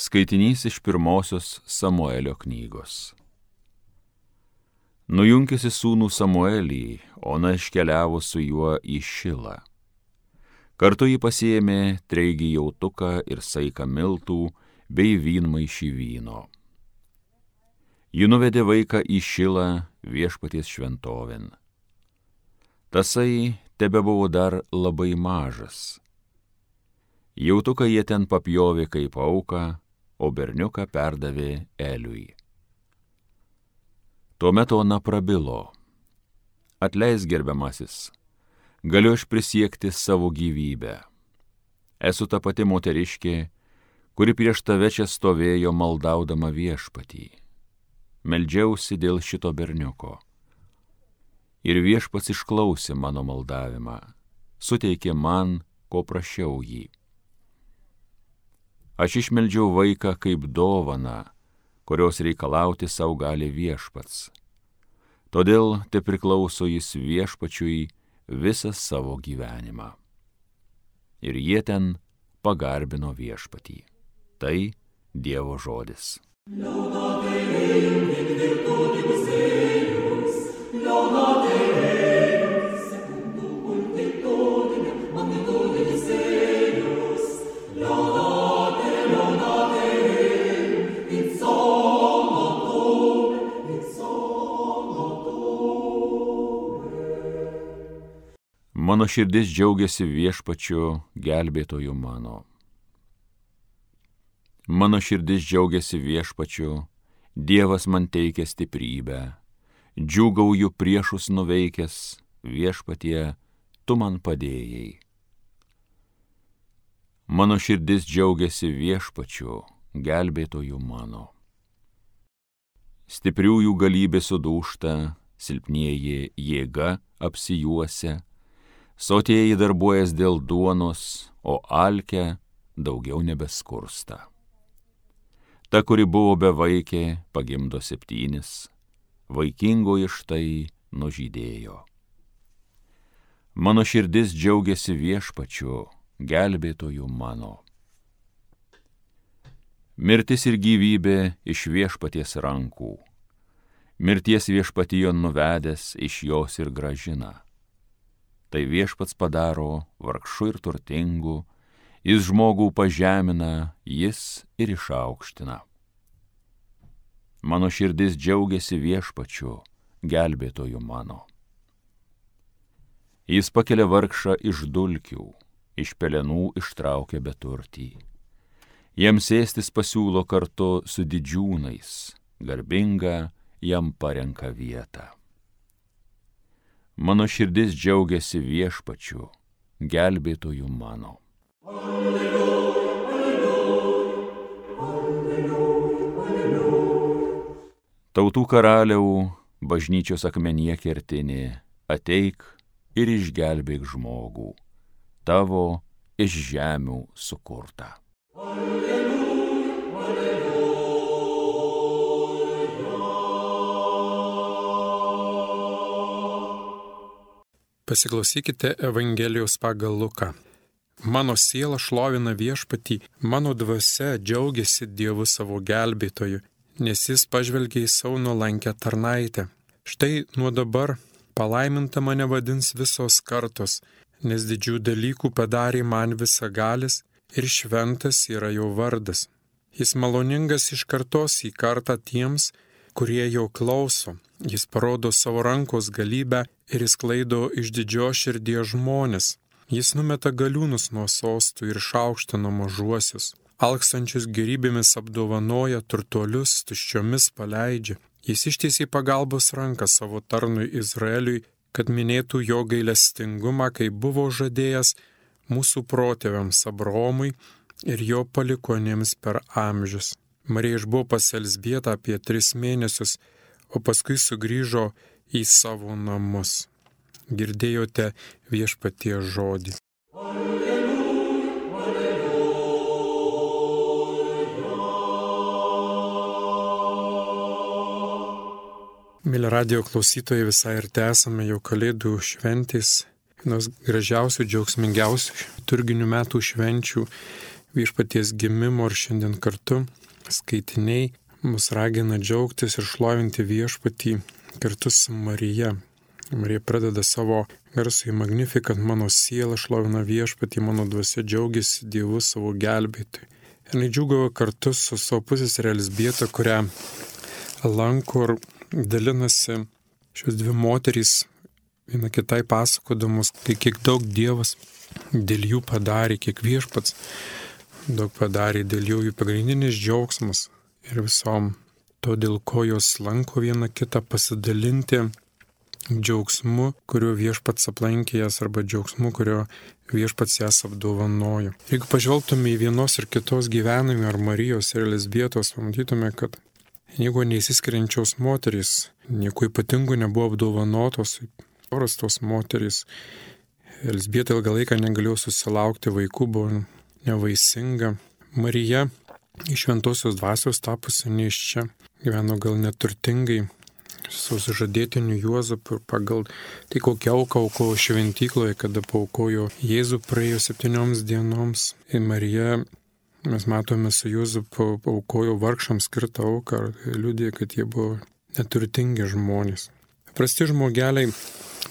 Skaitinys iš pirmosios Samuelio knygos. Nujunkėsi sūnų Samuelį, Ona iškeliavo su juo į Šilą. Kartu jį pasiėmė treigį jautuką ir saiką miltų bei vynmaišį vyno. Ji nuvedė vaiką į Šilą viešpaties šventovėn. Tasai tebebuvo dar labai mažas. Jautuką jie ten papjovė kaip auką, o berniuką perdavė Eliui. Tuomet Ona prabilo: Atleisk, gerbiamasis, galiu aš prisiekti savo gyvybę. Esu ta pati moteriškė, kuri prieš tave čia stovėjo maldaudama viešpatį. Meldžiausi dėl šito berniuko. Ir viešpats išklausė mano maldavimą, suteikė man, ko prašiau jį. Aš išmeldžiau vaiką kaip dovaną, kurios reikalauti sau gali viešpats. Todėl te priklauso jis viešpačiui visą savo gyvenimą. Ir jie ten pagarbino viešpatį. Tai Dievo žodis. Mano širdis džiaugiasi viešpačiu gelbėtoju mano. Mano širdis džiaugiasi viešpačiu, Dievas man teikia stiprybę. Džiūgauju priešus nuveikęs, viešpatie, tu man padėjai. Mano širdis džiaugiasi viešpačiu, gelbėtoju mano. Stipriųjų galybė sudūžta, silpnieji jėga apsijuosia, sotieji darbuojas dėl duonos, o alkę daugiau nebeskursta. Ta, kuri buvo bevaikė, pagimdo 7, vaikingoji štai nužydėjo. Mano širdis džiaugiasi viešpačiu, gelbėtoju mano. Mirtis ir gyvybė iš viešpaties rankų. Mirties viešpatijon nuvedęs iš jos ir grąžina. Tai viešpats padaro vargšų ir turtingų, jis žmogų pažemina, jis ir išaukština. Mano širdis džiaugiasi viešpačiu, gelbėtoju mano. Jis pakelia vargšą iš dulkių, iš pelenų ištraukia beturtį. Jiems sėstis pasiūlo kartu su didžiūnais, garbinga jam parenka vietą. Mano širdis džiaugiasi viešpačiu, gelbėtoju mano. Alleluja, alleluja, alleluja, alleluja. Tautų karaliau, bažnyčios akmenyje kertinė, ateik ir išgelbėk žmogų, tavo iš žemių sukurtą. Alleluja, alleluja. Pasiklausykite Evangelijos pagal Luką. Mano siela šlovina viešpatį, mano dvasia džiaugiasi Dievu savo gelbėtoju, nes jis pažvelgė į savo nuolankę tarnaitę. Štai nuo dabar palaiminta mane vadins visos kartos, nes didžių dalykų padarė man visagalis ir šventas yra jo vardas. Jis maloningas iš kartos į kartą tiems, kurie jo klauso. Jis parodo savo rankos galybę ir išsklaido iš didžios širdies žmonės. Jis numeta galiūnus nuo sostų ir išaukština mažuosius. Alkstančius gerybėmis apdovanoja, turtuolius tuščiomis paleidžia. Jis ištiesė pagalbos ranką savo tarnui Izraeliui, kad minėtų jo gailestingumą, kaip buvo žadėjęs mūsų protėviams Abraomui ir jo palikuonėms per amžius. Marija išbuvo pas Elzbietą apie 3 mėnesius, o paskui sugrįžo į savo namus. Girdėjote viešpaties žodį. Alleluja, alleluja. Mėly radijo klausytojai, visai ir tęsame jau Kalėdų šventės, vienos gražiausių, džiaugsmingiausių liturginių metų švenčių. viešpaties gimimo ir šiandien kartu skaitiniai mus ragina džiaugtis ir šlovinti viešpatį kartu su Marija. Marija pradeda savo garsųjį Magnificat, mano siela šlovina viešpatį, mano dvasia džiaugiasi Dievu savo gelbėtojui. Ir jinai džiūgavo kartu su savo pusseserė Elzbieta, kurią lanko ir dalinasi šios dvi moterys, viena kitai pasakodamos, kiek daug Dievas dėl jų padarė, kiek viešpats daug padarė dėl jų pagrindinis džiaugsmas ir visom to, dėl ko jos lanko viena kitą, pasidalinti džiaugsmu, kuriuo viešpats aplankė jas, arba džiaugsmu, kurio viešpats jas apdovanojo. Jeigu pažvelgtume į vienos ir kitos gyvenimą, ar Marijos ir Elzbietos, pamatytume, kad nieko neįsiskiriančios moterys, nieko ypatingų nebuvo apdovanotos, paprastos moterys. Elzbieta ilgą laiką negalėjo susilaukti vaikų, buvo nevaisinga. Marija iš šventosios dvasios tapusi nėščia, gyveno gal neturtingai, su sužadėtiniu Juozapu, pagal tai kokią auką aukojo šventykloje, kada paaukojo Jėzų praėjo 7 dienoms. Ir Marija, mes matome, su Juozapu aukojo vargšams skirtą auką, liudija, kad jie buvo neturtingi žmonės. Paprasti žmogeliai,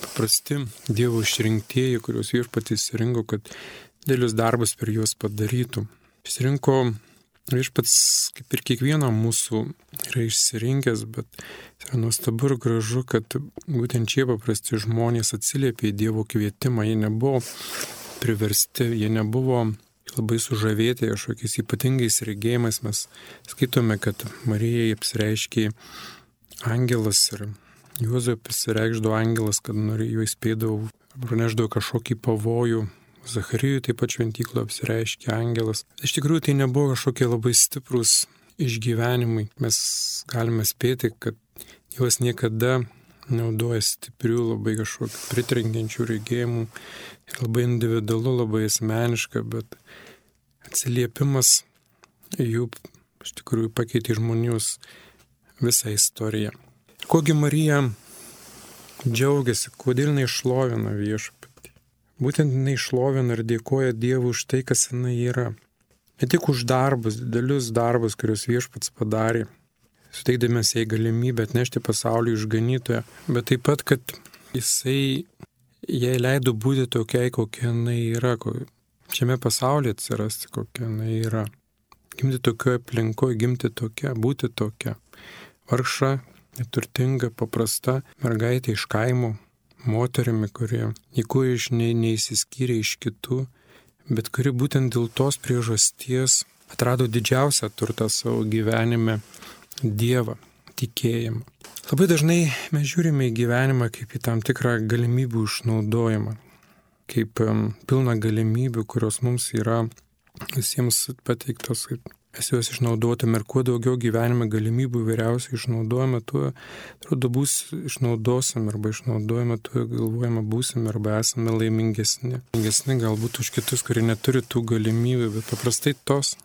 paprasti Dievo išrinktieji, kuriuos viešpatys rinko, kad dėlius darbus per juos padarytų. Išsirinko viešpats, kaip ir kiekvieną mūsų yra išsirinkęs, bet yra nuostabu ir gražu, kad būtent šie paprasti žmonės atsiliepė į Dievo kvietimą. Jie nebuvo priversti, jie nebuvo labai sužavėti kažkokiais ypatingais regėjimais. Mes skaitome, kad Marijai apsireiškė angelas ir Juozapui pasireikšdavo angelas, kad jo įspėdavo, praneždavo kažkokį pavojų. Zacharijui taip pat šventykloje apsireiškė angelas. Iš tikrųjų tai nebuvo kažkokie labai stiprus išgyvenimai. Mes galime spėti, kad Dievas niekada naudoja stiprių, labai kažkokių pritrenkiančių regėjimų. Labai individualu, labai asmeniška, bet atsiliepimas jų iš tikrųjų pakeitė žmonijos visą istoriją. Kogi Marija džiaugiasi, kodėl jinai šlovina viešpatį? Būtent jinai šlovina ir dėkoja Dievui už tai, kas jinai yra. Ne tik už darbus, didelius darbus, kuriuos viešpats padarė, suteikdamas jai galimybę atnešti pasaulį išganytoją, bet taip pat, kad jisai jai leido būti tokiai, kokia jinai yra, šiame pasaulyje atsirasti, kokia jinai yra. Gimti tokioje aplinkoje, gimti tokia, būti tokia. Vargša, neturtinga, paprasta mergaitė iš kaimo, moterimi, kurie nieko neįsiskyrė iš kitų, bet kuri būtent dėl tos priežasties atrado didžiausią turtą savo gyvenime - Dievą, tikėjimą. Labai dažnai mes žiūrime į gyvenimą kaip į tam tikrą galimybių išnaudojimą, kaip pilną galimybių, kurios mums yra visiems pateiktos, kaip mes juos išnaudotume, ir kuo daugiau gyvenime galimybių vyriausiai išnaudojame, tuo atrodo išnaudosim arba išnaudojame, tuo galvojame būsime arba esame laimingesni. Laimingesni galbūt už kitus, kurie neturi tų galimybių, bet paprastai tos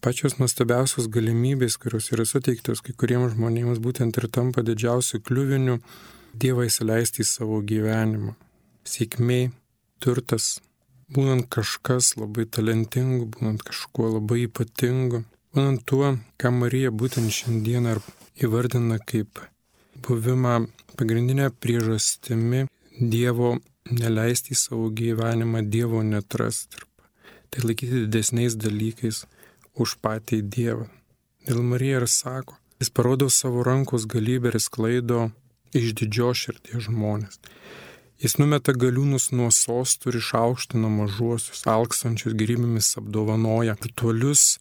pačios nuostabiausios galimybės, kurios yra suteiktos kai kuriems žmonėms, būtent ir tampa didžiausiu kliuviniu Dievą įsileisti į savo gyvenimą. Sėkmė, turtas, būnant kažkas labai talentingu, būnant kažkuo labai ypatingu, būnant tuo, ką Marija būtent šiandieną įvardina kaip buvimą pagrindinę priežastimi Dievo neleisti į savo gyvenimą, Dievo netrasti. Tai laikyti didesniais dalykais už patį Dievą. Dėl Marija ir sako, jis parodo savo rankos galybę ir sklaido iš didžios širdies žmonės. Jis numeta galiūnus nuo sostų ir išaukština mažuosius, alkstančius gėrybėmis apdovanoja, turtuolius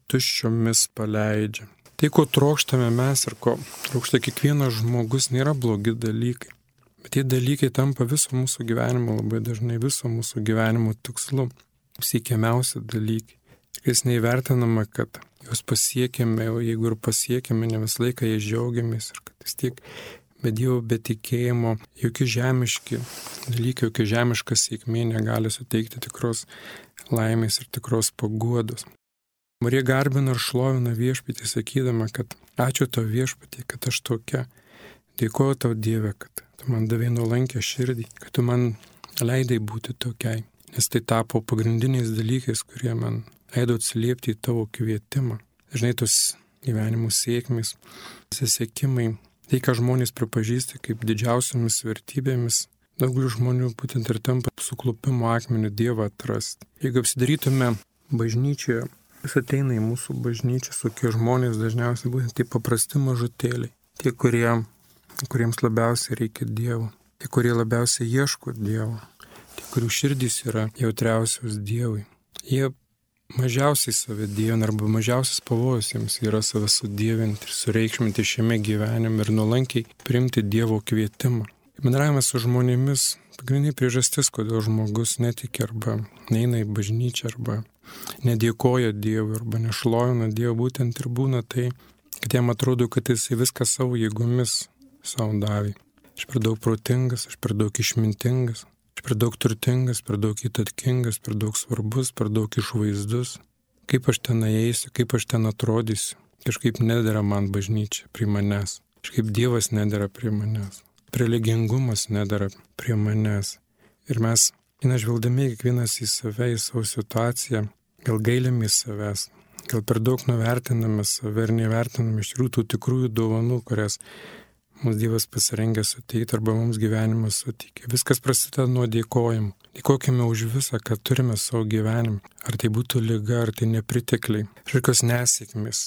tuščiomis paleidžia. Tai, ko trokštame mes ir ko trokšta kiekvienas žmogus, nėra blogi dalykai. Bet tie dalykai tampa viso mūsų gyvenimo, labai dažnai viso mūsų gyvenimo tikslu, siekiamiausi dalykai. Jis neįvertinama, kad juos pasiekėme, o jeigu ir pasiekėme, ne visą laiką jais džiaugiamės ir kad vis tiek be Dievo, be tikėjimo, jokie žemiški dalykai, jokia žemiška sėkmė negali suteikti tikros laimės ir tikros paguodos. Marija garbina ir šlovina viešpatį, sakydama, kad ačiū tau viešpatį, kad aš tokia. Dėkoju tau Dieve, kad tu man davei nuolankę širdį, kad tu man leidai būti tokiai. nes tai tapo pagrindiniais dalykais, kurie man leido atsiliepti į tavo kvietimą. Žinai, tos gyvenimo sėkmės, pasisekimai, tai, ką žmonės pripažįsta kaip didžiausiamis vertybėmis, daugelis žmonių būtent ir tampa suklupimo akmeniu Dievą atrasti. Jeigu apsidarytume bažnyčioje, jis ateina į mūsų bažnyčią, tokie žmonės dažniausiai būtent tie paprasti mažutėliai, tie, kuriems labiausiai reikia Dievo, tie, kurie labiausiai ieško Dievo, tie, kurių širdys yra jautriausios Dievui. Jie mažiausiai save dievina arba mažiausias pavojus jiems yra save sudievinti ir sureikšminti šiame gyvenime ir nuolankiai priimti Dievo kvietimą. Bendravimas su žmonėmis pagrindinė priežastis, kodėl žmogus netiki arba neina į bažnyčią arba nedėkoja Dievui arba nešlovina Dievą, būtent ir būna tai, kad jam atrodo, kad jis viską savo jėgomis savo davė. Aš per daug protingas, aš per daug išmintingas, aš per daug turtingas, per daug įtakingas, per daug svarbus, per daug išvaizdus. Kaip aš ten eisiu, kaip aš ten atrodysiu. Kažkaip nedera man bažnyčia prie manęs. Kažkaip Dievas nedera prie manęs. Religingumas nedara prie manęs. Ir mes, žvelgdami kiekvienas į save, į savo situaciją, gal gailimės savęs, gal per daug nuvertiname save ir nevertiname iš tų tikrųjų dovanų, kurias mums Dievas pasirengęs suteikti arba mums gyvenimas suteikia. Viskas prasideda nuo dėkojimo. Dėkokime už visą, ką turime savo gyvenime. Ar tai būtų liga, ar tai nepritekliai, kažkokios nesėkmės,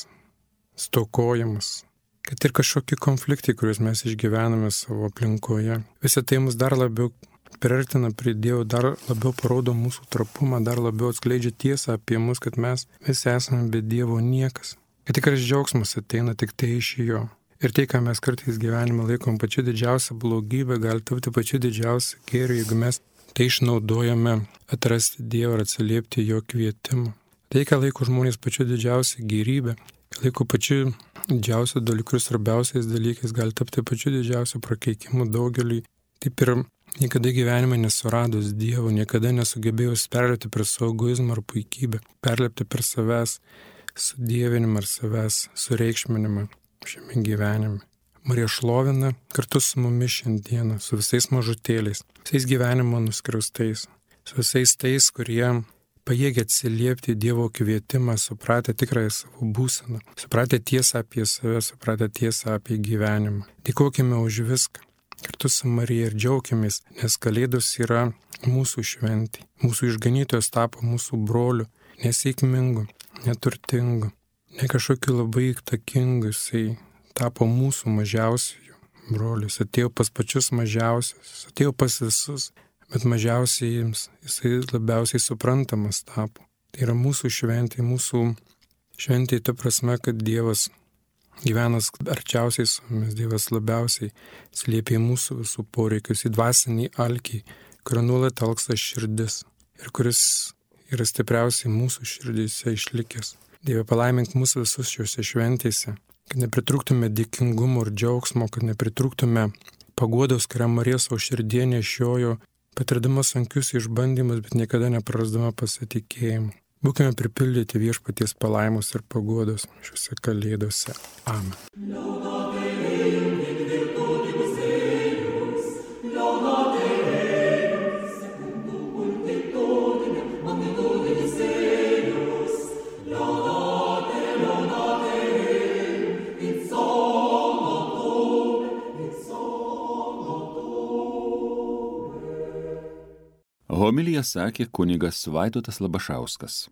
stokojimas, kad ir kažkokie konfliktai, kuriuos mes išgyvename savo aplinkoje. Visą tai mus dar labiau priartina prie Dievo, dar labiau parodo mūsų trapumą, dar labiau atskleidžia tiesą apie mus, kad mes visi esame be Dievo niekas. Kad tikras džiaugsmas ateina tik tai iš Jo. Ir tai, ką mes kartais gyvenime laikom pačiu didžiausią blogybę, gali tapti pačiu didžiausią gėrį, jeigu mes tai išnaudojame atrasti Dievą ir atsiliepti Jo kvietimą. Tai, ką laiko žmonės pačiu didžiausią gėrybę, laiko pačiu didžiausią dalykus ir svarbiausiais dalykais, gali tapti pačiu didžiausiu prakeikimu daugeliui. Taip ir niekada gyvenime nesuradus Dievo, niekada nesugebėjus perlėpti per savo egoizmą ar puikybę, perlėpti per savęs sudievinimą ar savęs sureikšminimą šiame gyvenime. Marija šlovina kartu su mumis šiandieną, su visais mažutėliais, visais gyvenimo nuskriaustais, su visais tais, kurie pajėgia atsiliepti Dievo kvietimą, supratę tikrąją savo būseną, supratę tiesą apie save, supratę tiesą apie gyvenimą. Dėkokime už viską. Kartu su Marija ir džiaukimės, nes Kalėdos yra mūsų šventė. Mūsų išganytojas tapo mūsų broliu, nesėkmingu, neturtingu, ne kažkokiu labai įtakingu, jisai tapo mūsų mažiausiųjų broliu. Jis atėjo pas pačius mažiausius, jis atėjo pas visus, bet mažiausiai jisai labiausiai suprantamas tapo. Tai yra mūsų šventė ta prasme, kad Dievas gyvenas arčiausiai su mumis, Dievas labiausiai slėpė mūsų visų poreikius, į dvasinį alkį, kurio nuolat alksta širdis ir kuris yra stipriausiai mūsų širdyse išlikęs. Dieve, palaimink mūsų visus šiuose šventėse, kad nepritrūktume dėkingumo ir džiaugsmo, kad nepritrūktume paguodos, kurią Marija savo širdie nešiojo, patirdama sunkius išbandymus, bet niekada neprarasdama pasitikėjimo. Būkime pripildyti Viešpaties palaimos ir paguodos šiuose Kalėdose. Amen. Homiliją sakė kunigas Vaidotas Labašauskas.